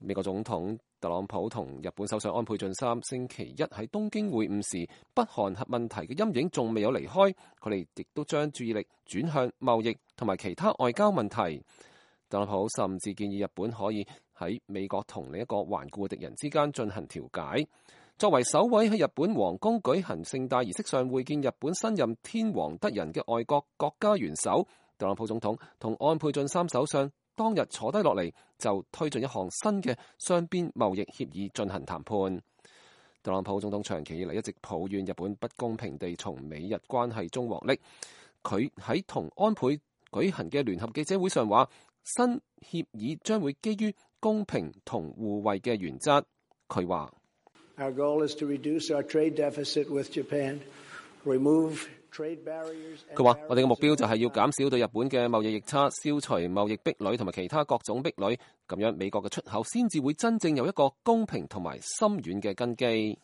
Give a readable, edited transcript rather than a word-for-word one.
美國總統特朗普同日本首相安倍晉三星期一喺東京會晤時，北韓核問題嘅陰影仲未有離開，佢哋亦都將注意力轉向貿易同埋其他外交問題。特朗普甚至建議日本可以喺美國同另一個頑固嘅敵人之間進行調解。作為首位喺日本皇宮舉行盛大儀式上會見日本新任天皇德仁嘅外國國家元首，特朗普總統同安倍晉三首相當日坐低落嚟，就推進一項新嘅雙邊貿易協議進行談判。特朗普總統長期以嚟一直抱怨日本不公平地從美日關係中獲利。佢喺同安倍舉行嘅聯合記者會上話，新協議將會基於公平同互惠嘅原則。佢話：Our goal is to reduce our trade deficit with Japan, remove trade barriers。佢話：我哋嘅目標就係要減少對日本嘅貿易逆差，消除貿易壁壘同埋其他各種壁壘，咁樣美國嘅出口先至會真正有一個公平同埋深遠嘅根基。